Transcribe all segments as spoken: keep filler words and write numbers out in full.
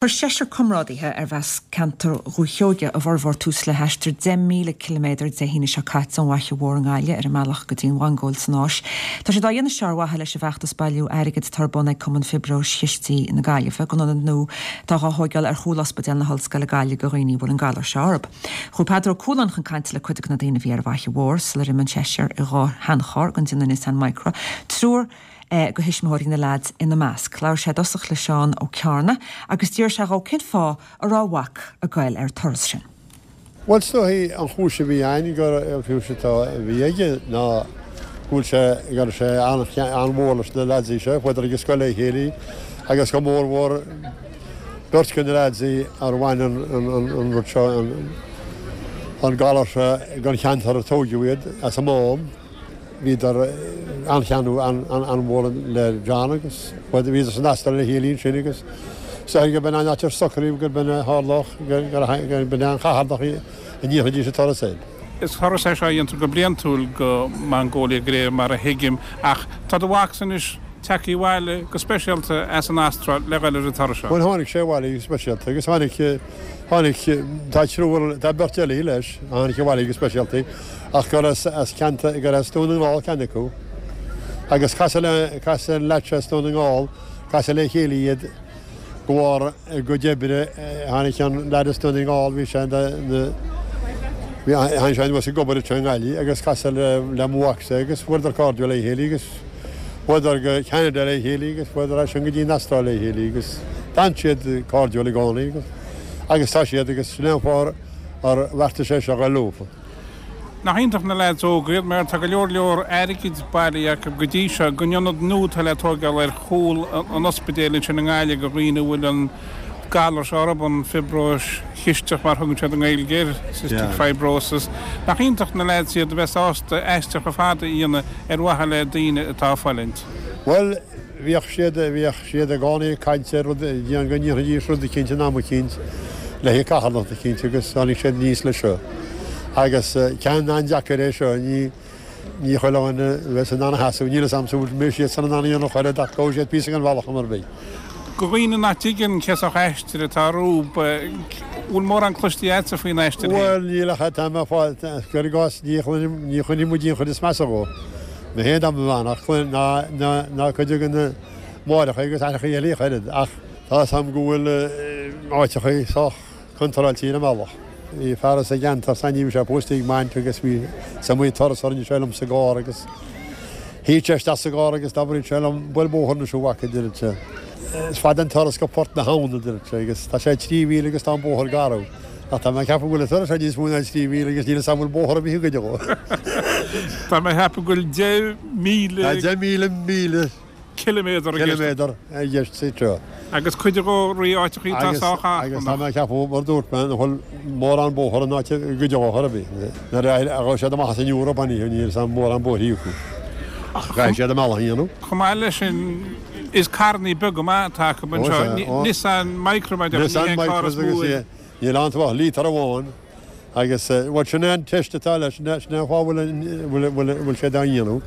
Chuir seisear comrádaithe arbh as ceantar Dhúiche Sheoigheach a bhformhór tús le haistear deich míle ciliméadar Dé hAoine seo caite ón bhFaiche Mhór i nGaillimh ar a mbealach go dtí an Mhongóil san Áis. Tá siad á dhéanamh seo ar mhaithe leis an bhfeachtas bailiú airgid atá ar bun ag Cumann Fiobróis Chistigh na Gaillimhe don ionad nua atá á thóigeáil ar chúl Ospidéal na hOllscoile Gaillimh do dhaoine a bhfuil an galar seo orthu. Chuaigh Peadar Ó Cualáin chun cainte le cuid de na daoine a bhí ar an bhFaiche Mhór sular imigh an seisear i dhá sheancharr den déanamh Nissan Micra. Triúr de thuismitheoirí na leaids ina measc. Labhair sé i dtosach le Seán Ó Cearna agus d'iarr sé dhó cén fáth a raibh a mhac ag goil ar an turas sin. Bhuel is dóigh an chúis a bhí ann gur an chúis atá a bhí aige ná go bhfuil sé go raibh sé an-mhór leis na leaids seo, chuadar ag an scoil le chéile agus go mórmhór beirt de na leaids ar bhain an an rud seo an galar seo den cheantar a tógadh iad as an Mám. Bhíodar an-cheanúil an-mhór le John agus bhíodar san Astráil le chéile ansin agus is dóigh gurb in an áit ar socraíodh gurb in a tharlódh gurb in an chatharnach a ndéanfaidís an turas air. Is turas é seo a dhéantar go bliantúil go Mongólia de réir mar a thuigim ach tá do mhacsa anois tagtha abhaile go speisialta as an Astráil le dhul ar an turas seo. Bhuel tháinig sé abhaile go speisialta agus tháinig tháinig tá triúr tá beirt eile leis a tháinig abhaile go speisialta ach gur as as ceantar gur as Dún na nGall ceann acu agus casadh le casadh an leaid seo as Dún na nGall casadh le chéile iad de bharr a gcuid oibre tháinig an leaid as Dún na nGall bhí sé na bhí tháinig sé anuas ag obair anseo i nGaillimh agus casadh le le mo mhacsa agus fuaireadar cairdiúil le chéile agus Chuadar go Ceanada le chéile agus chuadar as sin go dtí an Astráil le chéile agus d'fhan siad cairdiúil i gcónaí agus agus tá siad agus sin é an fáth ar bheartaigh sé seo dhul leofa. Nach iontach na leaids óga iad mar tá go leor leor airgid bailithe acu go dtí seo don ionad nua atá le tóigeáil ar chúl an ospidéil ansin i nGaillimh do dhaoine a bhfuil an galar seo orthu, an fiobróis chisteach mar thugann siad i nGaeilge air, cystic fibrosis. Nach iontach na leaids iad a bheith sásta aistear chomh fada a dhéanamh ar mhaithe le daoine atá ag fulaingt. Bhuel, bhíodh siad, bhíodh siad i gcónaí ag caint ar rud, go ndéanfaidís rud eicínt in am eicínt le haghaidh carthanacht eicínt agus tháinig siad aníos leis seo. Agus ceann an-deacair é seo, ní, Ní chuile dhuine a bheas in ann a sheasamh, níl 'fhios a'msa an mbeidh siadsan in ann a dhéanamh ach oiread ach gabhfaidh siad píosa den bhealach am ar bith. Do dhaoine nach dtuigeann cén sórt aistir atá rompu, bhfuil mórán cloiste a'dsa faoin aistear féin? Bhuel, níl ach tá mé ag fáil, cuir i gcás, ní chluinim, ní choinnigh muid aon chuid is measa dhó. Mé féin dá mba bhean ach cluin, ná, ná, ná cuid de na máithreacha agus aithreacha eile ach oiread ach tá 'fhios a'm go bhfuil áiteachaí sách contráilte ar an mbealach. Bhí fear as an gceantar san ní bhí sé pósta ag m'aint agus bhí is iomaí turas a rinne sé liom sa gcarr agus shuigh sé isteach sa gcarr agus d'abraíodh sé liom buail bóthar anois a mhac a deireadh sé. Is fada an turas go Port na hAbhann a deireadh sé agus tá sé trí mhíle agus tá an bóthar garbh. Ach tá mé ag ceapadh go bhfuil an turas seo níos mó ná trí mhíle agus níl 'fhios a'm an bhfuil bóthar ar bith i gcuid dhó. Tá mé ag ceapadh go bhfuil deich míle. Tá deich míle míle. Ciliméadar i gceist. Ciliméadar i gceist sa treo. Agus cuid dhó thrí áiteachaí atá sách achrannach. Agus tá mé ag ceapadh, mar a dúirt mé, nach bhfuil mórán bóthar in áit i gcuid dhó chor ar bith. Nuair a ghabh siad amach as an Eoraip an oíche, níl 'fhios a'm mórán bóithrí acu. Caithfidh siad a mbealach a dhéanamh. Chomh maith leis sin, is carrannaí beaga maith atá acu anseo. Nissan Micra, mar a déarfá, ní hé an carr is mó é. Níl ann ach lítear amháin. Agus, bhuel, sin é an teist atá leis, sin é an fáth a bhfuil, bhfuil siad á dhéanamh,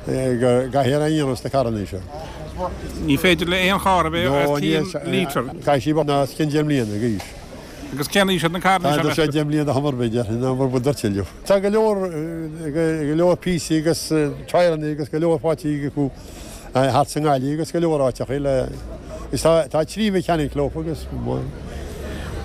go gcaithfear é a dhéanamh sna carrannaí seo. Ní féidir le aon charr a bheith os cionn lítear. Caithfidh sí bheith os cionn deich mbliana d'aois. Agus cén aois iad na carrannaí seo, Tá sé deich mbliana chor ar bith, déarfainn, nó mar ba tuilleadh. Tá go leor, go leor píosaí agus tyreannaí agus go leor faighte acu thart sa nGaillimh agus go leor áiteachaí le, is tá, tá trí mheiceainic leofa agus.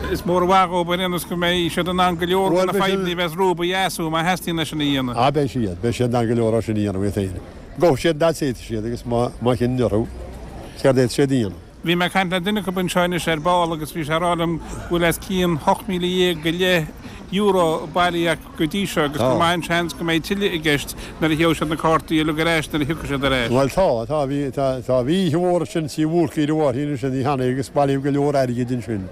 Is mór an mhaith dhóibh ar aon nós go mbeidh siad in ann go leor de na fadhbanna a bheas rompu a dheasú má theastaíonn é sin a dhéanamh. Ah beidh siad, beidh siad in ann go leor as sin a dhéanamh iad féin. Gabhfaidh siad an fhad is a fhéadfaidh siad agus má, má chinneann orthu céard a fhéadfaidh siad a dhéanamh. Bhí mé ag caint le duine acu anseo anois ar ball agus bhí sé ag rá liom go bhfuil os cionn hocht míle dhéag go leith euro bailithe acu go dtí seo agus gur maith an seans go mbeidh tuilleadh i gceist nuair a gheobhaidh siad na cártaí uilig ar ais nuair a thiocfaidh siad ar ais. Bhuel tá, tá, bhí, tá, tá, bhí oíche mhór ansin sa Bhúrcaigh ar an Mháirtín ansin oíche cheana agus bailíodh go leor airgid ansin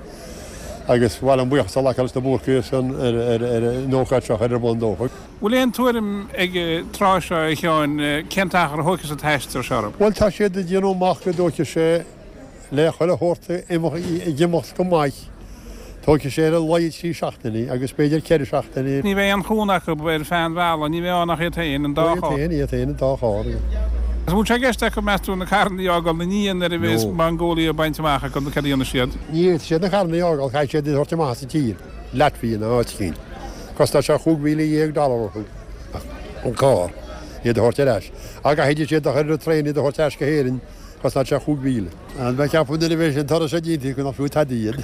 agus ba mhaith liom buíochas a ghlacadh leis na Búrcaigh ar son, ar, ar, ar an ócáid seo a chur ar bun dófa. Bhfuil aon tuairim ag an tráth seo, a Sheáin, cén t-achar a thógfas an t-aistear seo orthu? Bhuel tá siad ag déanamh amach go dtógfaidh sé Le chuile shórt ag imeacht go maith, tógfaidh sé ar a laghad trí seachtainí agus b'fhéidir ceithre seachtainí. Ní bheidh aon chúnamh acu ar feadh an bhealaigh, ní bheidh ann ach iad féin, an dá charr. Iad féin, iad féin, an dá charr. An bhfuil sé i gceist acu, meas tú, na carranna a fhágáil ina ndiaidh nuair a bheas Mongolia bainte amach acu nó cad a dhéanfaidh siad? Ní fhéadfaidh siad na carranna a fhágáil, caithfidh siad iad a thabhairt amach as an tír, Laitvia nó áit eicínt. Cosnóidh sé chúig mhíle dhéag dollar orthu an carr, iad a thabhairt ar ais. Ach caithfidh siad a chur ar an traein iad a thabhairt ar ais go hÉirinn, cosnóidh sé chúig mhíle. An mbeidh ceapadh nuair a bheidh an turas seo déanta acu nach fiú tada iad?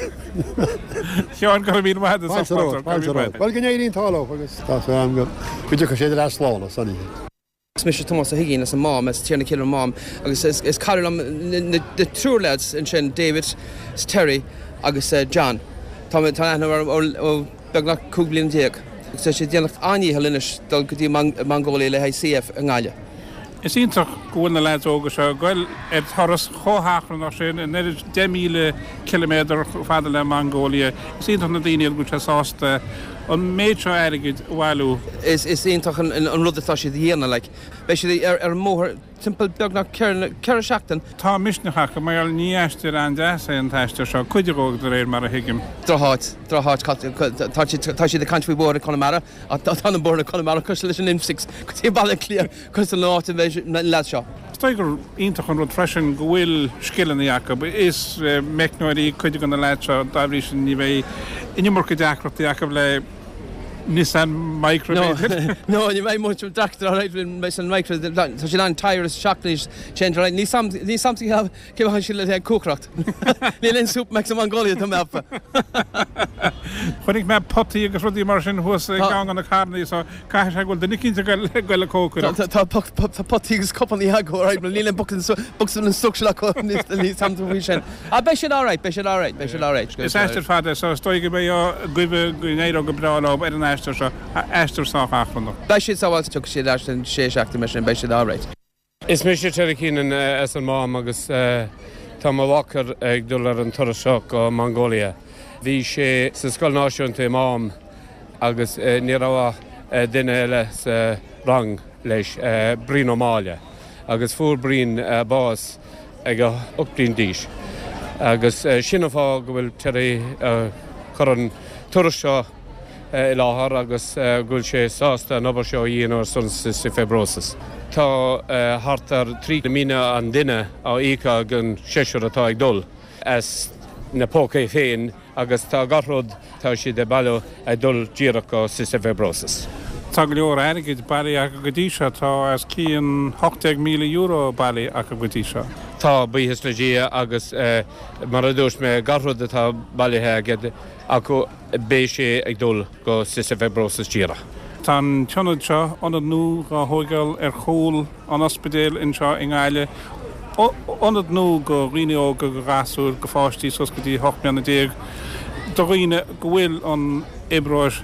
Sheáin, go raibh míle maith agat as ucht labhairt Fáilte romhat, fáilte romhat. Bhuel, go n-éirí an t-ádh leo agus tá súil agam go dtiocfaidh siad ar ais slán as san oíche. Is mise Tomás Ó hUiginn as an Mám, as Tír na Cille Mám, agus is cara liom na triúr lads ansin, David, Terry agus John. Tá aithne orm ó beagnach cúig bliana déag. Agus tá siad ag déanamh an-dhícheall anois dul go dtí Mongolia le haghaidh C F i nGaillimh. Is iontach go bhfuil na leaids óga seo ag goil ar turas chomh hachrannach sin, an oiread deich míle ciliméadar chomh fada le Mongolia. Is iontach na daoine iad go bhfuil siad sásta an méid seo airgid a bhailiú. Is iontach an rud atá siad a dhéanamh, like. Beidh siad ar an mbóthar timpeall beagnach ceithre seachtain. Tá misneach acu, mar gheall ní aistear an-deas é an t-aistear seo, cuid dhó de réir mar a thuigim. Drocháit, drocháit, tá siad ag caint faoi bhóithre Chonamara. Ach tá na bóithre Conamara cosúil leis an M six go dtí Baile Átha Cliath cosúil le áit a mbeidh na leaids seo. Is dóigh gur iontach an rud freisin go bhfuil scileanna acu. Is meicneoirí cuid de na leaids seo, dá bhrí sin ní bheidh an iomarca deacrachtaí acu le Nissan Micra b'fhéidir. No, ní bheidh muid deacrachtaí alright le Nissan Micra. Tá siad an tyre is seacht anois change alright. Ní samsa cé bheadh siad le cócaireacht. Níl aon Supermacs i Mongolia tá mé ag ceapadh. Chonaic mé potaí agus rudaí mar sin thuas i gceann de na carranna so caithfidh sé go bhfuil duine eicínt ag goil ag cócaireacht. Tá potaí agus cupanna acu alright but níl aon bocsa instruction acu níl samsa faoi sin. Ah beidh siad alright, beidh siad alright, beidh siad alright. Is aistear fada é so is dóigh go mbeidh go n-éireoidh go breá leo ar an aistear seo, aistear sách achrannach. Beidh siad sábháilte, tiocfaidh siad ar ais in sé seachtain mar sin, beidh siad alright. Is mise Terry Keenan as an Mám agus tá mo mhac ag dul ar an turas seo go Mongolia. Bhí sé sa Scoil Náisiúnta i Mám agus ní raibh ach duine eile sa rang leis, Brian Ó Máille, agus fuair Brian bás ag a ocht bliain d'aois agus sin an fáth go bhfuil Terry ag cur an turas seo i láthair agus go bhfuil sé sásta an obair seo a dhéanamh ar son Cystic Fibrosis. Tá thart ar trí míle an duine á íoc ag an seisear atá ag dul as na pócaí féin agus tá gach rud tá siad ag bailiú ag dul díreach go Cystic Fibrosis. Tá go leor airgid bailithe acu go dtí seo, tá os cionn hocht déag míle euro bailithe acu go dtí seo. Tá, buíochas le Dia agus mar a dúirt mé gach rud atá bailithe aige acu beidh sé ag dul go Cystic Fibrosis díreach. Tá an t-ionad seo, ionad nua dhá thóigeáil ar chúl an ospidéil anseo i nGaillimh, ionad nua go dhaoine óga, go ghasúir, go pháistí suas go dtí hocht mbliana déag, do dhaoine go bhfuil an fhiobróis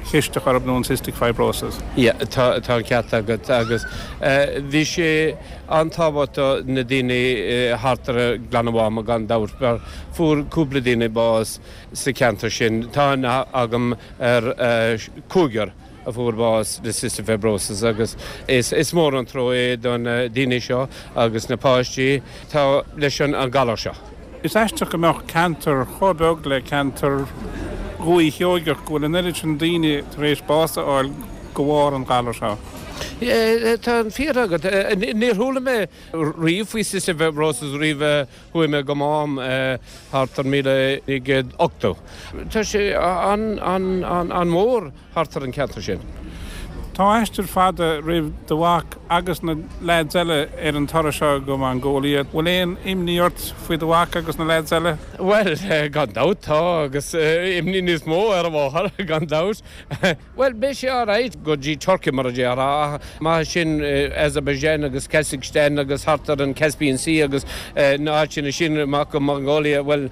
chisteach orthu nó an cystic fibrosis. Yeah, tá an ceart agat agus bhí sé an-tábhachtach do na daoine thart ar Ghleann an Mháma gan dabht mar fuair cúpla daoine bás sa cheantar sin. Tá aithne agam ar cúigear a fuair bás le cystic fibrosis agus is mór an trua é don daoine seo agus na páistí atá leis an galar seo. Is aisteach go mbeadh ceantar chomh beag le ceantar Dhúiche Sheoigeach go bhfuil an oiread sin daoine tar éis bás a fháil de bharr an ghalair seo. Tá an fíor agat. Níor chuala mé riamh faoi cystic fibrosis roimh chuaigh mé go Mám thart ar míle naoi gcéad ochtó. Tá sé an-mhór thart ar an cheantar sin. Tá aistear fada roimh do mhac agus na leaids eile ar an turas seo go Mongolia. Bhfuil aon imní ort faoi do mhac agus na leaids eile? Bhuel, gan dabht tá, agus imní níos mó ar a mháthair, gan dabht. Bhuel, beidh sé alright go dtí Turkey mar a déarfá, ach amach as sin Azerbaijan agus Kazakhstan agus thart ar an Caspian Sea agus na háiteanna sin amach go Mongolia, bhuel,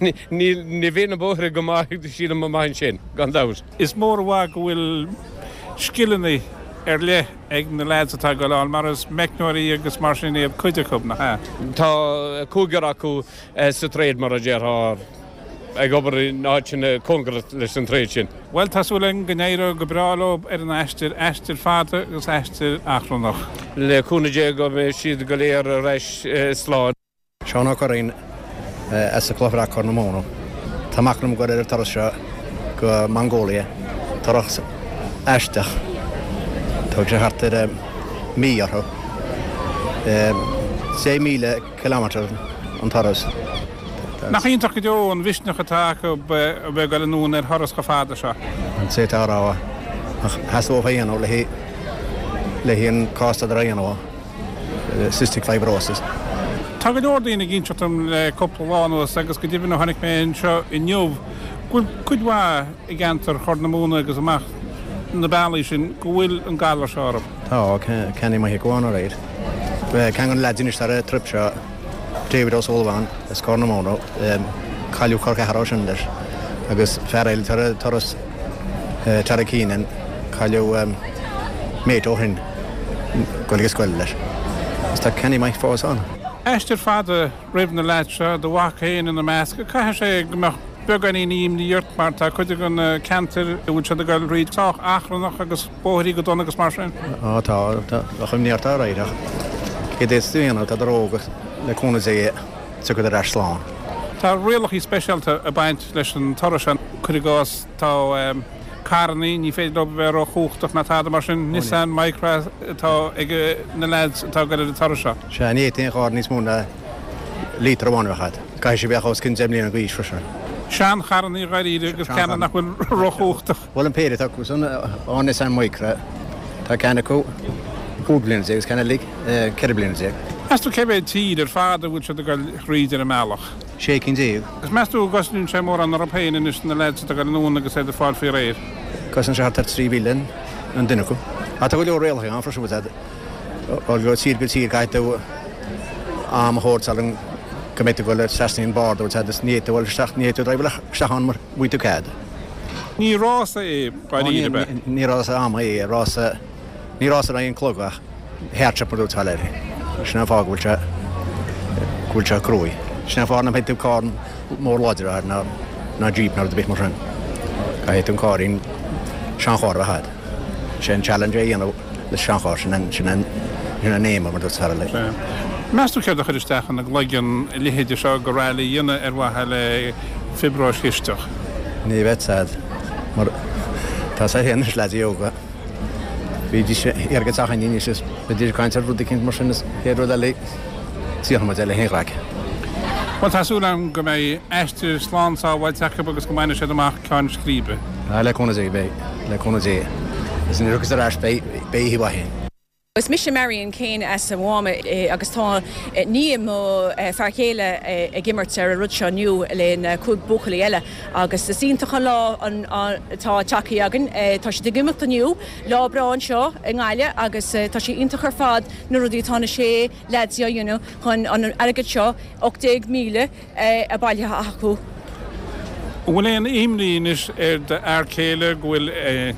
ní ní bheidh na bóithre go maith sílim amach ansin, gan dabht. Is mór an mhaith go bhfuil scileanna ar leith ag na leaids atá ag dul ann, mar is meicneoirí agus mar sin iad cuid acu, nach ea? Tá cúigear acu sa tréad mar a déarfá. ag obair in áiteanna cóngarach leis an tréad sin. Bhuel, tá súil againn go n-éireoidh go breá leo ar an aistear, aistear fada agus aistear achrannach. Le cúnamh Dé go mbeidh siad go léir ar ais slán. Seán Ó Curraoin as an Chloich Bhreac, Corr na Móna. Tá mac liom ag goil ar an turas seo go Mongolia, turas aisteach. Tógfaidh sé thart ar mí orthu. Sé míle kilometre an turas. Nach iontach go deo an mhisneach atá acu a bheith ag dul anonn ar thuras chomh fada seo. An sé tá rá ach theastódh a dhéanamh le le haghaidh an cás atá a dhéanamh, cystic fibrosis. Tá go leor daoine ag inseacht dom le cúpla lá anuas agus go deimhin ó tháinig mé anseo inniu go bhfuil cuid mhaith i gceantar Chorr na Móna agus amach na bealaí sin go bhfuil an galar seo orthu. Tá, ceannaigh maith go ann aréir. Ceann de na leaids anois ar an trip seo, David O'Sullivan as Corr na Móna, cailleadh col ceathrar sin leis agus fear eile tar an turas Terry Keenan, cailleadh mate ó shin ag dul ag scoil leis. Is tá ceannaí maith fós ann. Aistear fada roimh na leaids seo, do mhac féin ina measc. Caithfidh sé go mbeadh beagáinín imní ort mar tá cuid de na ceantair a bhfuil siad ag dul thríd sách achrannach agus bóithrí go dona agus mar sin. Á tá, tá, bheadh imní ort alright ach céard a d'fhéadfas tú a dhéanamh, tá óg le cúnamh Dé tiocfaidh ar ais slán. Tá rialacha speisialta ag baint leis an turas seo, cuir i gcás tá carrannaí, ní féidir leo a bheith róchumhachtach ná tada mar sin, Nissan Micra atá ag na leaids atá ag dul ar an turas seo. Sea, ní fhéadfaidh aon charr níos mó ná lítear amháin a bheith agat. Caithfidh sé bheith os cionn deich mbliana d'aois freisin. Seancharrannaí dháiríre agus ceanna nach bhfuil róchumhachtach. Bhuel an péire atá acu san, an Nissan Micra, tá ceann acu cúig bliana déag agus ceann eile ceithre bliana déag. Meas tú cé mhéad tír ar fad a bhfuil siad ag dul thríd ar an mbealach? Sé cinn déag. Agus meas tú an gcosnaíonn sé mórán orthu féin anois na leaids atá ag dul anonn agus iad ag fáil faoi réir? Cosnaíonn sé thart ar trí mhíle an duine acu. Ach tá go leor rialacha ann freisin, bhfuil fhios agat, ó tír go tír caithfidh tú am a thabhairt sula go mbeidh tú ag dul trasna an border, bhfuil fhios agat, ní fhéadfaidh tú dul isteach, ní fhéadfaidh tú driveáil isteach ann mura bhfaighidh tú cead. Ní rása é dáiríre, ab ea? Ní rása ama é, rása, ní rása in aghaidh an chlog ach hardship mar dúirt Valerie. Sin an fáth go bhfuil sé, go bhfuil sé cruaidh. Sin an fáth nach mbeidh tú carr mór láidir air ná, ná Jeep ná rud ar bith mar sin. Caithfidh tú an cáirín, seancharr a bheith agat. Sé an challenge é a dhéanamh le seancharr, sin an, sin an, sin an aim mar dúirt Valerie. Sea. Meas tú céard a chuir isteach ina gcloigeann a leithéide seo de rally a dhéanamh ar mhaithe le fiobróis chisteach? Ní bheadh fhios agat mar tá sé féin anois leaids óga. Bhídís ag iarraidh teach an anois is bhídís ag caint ar rud eicínt mar sin is chéad rud eile tiocfaidh muid le haon chraic. Bhuel tá súil agam go mbeidh aistear slán sábháilte acu agus go mbainfidh siad amach ceann scríbe. Ah le cúnamh Dé beidh, le cúnamh Dé. Is nuair a thiocfas ar ais beidh, beidh oíche mhaith againn. Is mise Marion Kane as an Mhám agus tá nia mo fear chéile ag imirt ar an rud seo inniu le cúig buachaillí eile agus is iontach an lá atá tagtha againn. Tá siad ag imeacht inniu, lá breá anseo i nGaillimh agus tá sé iontach ar fad na rudaí atá na sé leaids á dhéanamh chun an airgead seo, ocht déag míle, a bailithe acu. An bhfuil aon imní anois ar d'fhear céile go bhfuil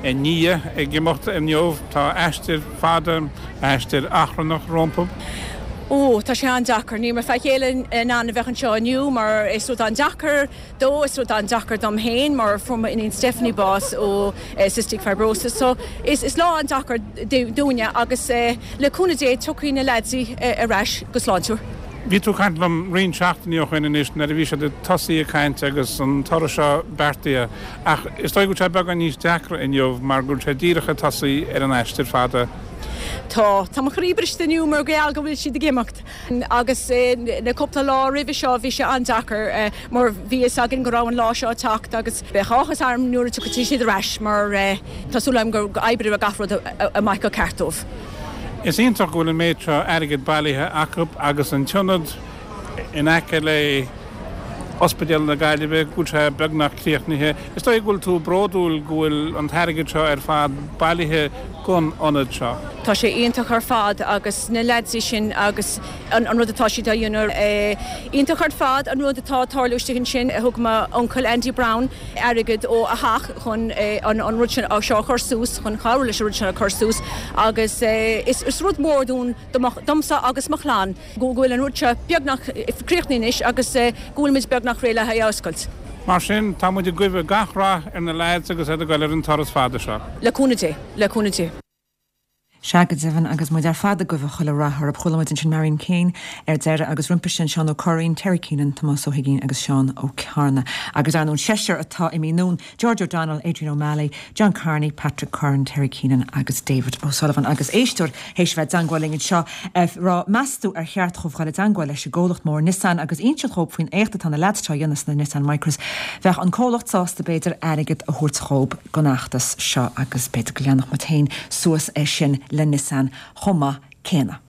a nia ag imeacht inniu? Tá aistear fada, aistear achrannach rompu. Ó, tá sé an-deacair. Níl mo fear céile in ann a bheith anseo inniu mar is rud an-deacair dó, is rud an-deacair dom féin mar fuair m'iníon Stephanie bás ó cystic fibrosis. So is lá an-deacair dúinne agus le cúnamh Dé tiocfaidh na leaids ar ais go sláintiúil. Bhí tú ag caint liom roinnt seachtainí ó shin anois nuair a bhí siad ag tosaí ag caint agus an turas seo beartaithe ach is dóigh go bhfuil sé beagán níos deacra inniu mar go bhfuil sé díreach ag tosaí ar an aistear fada. Tá. Tá mo chroí briste inniu mar gheall go bhfuil siad ag imeacht agus na cúpla lá roimhe seo bhí sé an-deacair mar bhí fhios againn go raibh an lá seo ag teacht agus beidh áthas orm nuair a tiocfaidh siad ar ais mar tá súil agam go oibreoidh gach rud amach go ceart dóibh. Is iontach go bhfuil an méid seo airgid bailithe acu agus an t-ionad in aice le Ospidéal na Gaillimhe, go bhfuil sé beagnach críochnaithe. Is dóigh go bhfuil tú bródúil go bhfuil an t-airgead seo ar fad bailithe don ionad seo. Tá sé iontach ar fad agus na leaids sin agus an rud atá siad a dhéanamh. Iontach ar fad an rud atá ag tarlú istigh ansin. Thug m'uncail Andy Brown airgead ó a theach chun an rud sin seo a chur suas, chun cabhrú leis an rud sin a chur suas agus is rud mór dúinn, domsa agus mo chlann, go bhfuil an rud seo beagnach críochnaithe anois agus go bhfuil muid beagnach réidh le haghaidh a oscailt. Mar sin, tá muid ag guí gach rath ar na leaids agus iad ag dul ar an turas fada seo. Le cúnamh Dé, le cúnamh Dé. Sea, go deimhin, agus muid ar fad ag guí chuile rath orthu. Chuala muid ansin Marion Keane ar deireadh agus roimpi sin Seán Ó Curraoin, Terry Keenan, Tomás Ó hUiginn agus Seán Ó Cearna. Agus ar ndóigh an seisear atá imithe anonn, George O'Donnell, Adrian O'Malley, John Carney, Patrick Curran, Terry Keenan agus David O'Sullivan. Agus éisteoir théis bheith i dteangmháil linn anseo ag rá meas tú ar cheart dhóibh dhul i dteangmháil leis an gcomhlacht mór Nissan agus inseacht dhóibh faoin éacht atá na leaids seo a dhéanamh sna Nissan Micras. Bheadh an comhlacht sásta b'fhéidir airgead a thabhairt dhóibh don fheachtas seo agus b'fhéidir go leanfadh muid féin suas é sin le Nissan chomh maith céanna.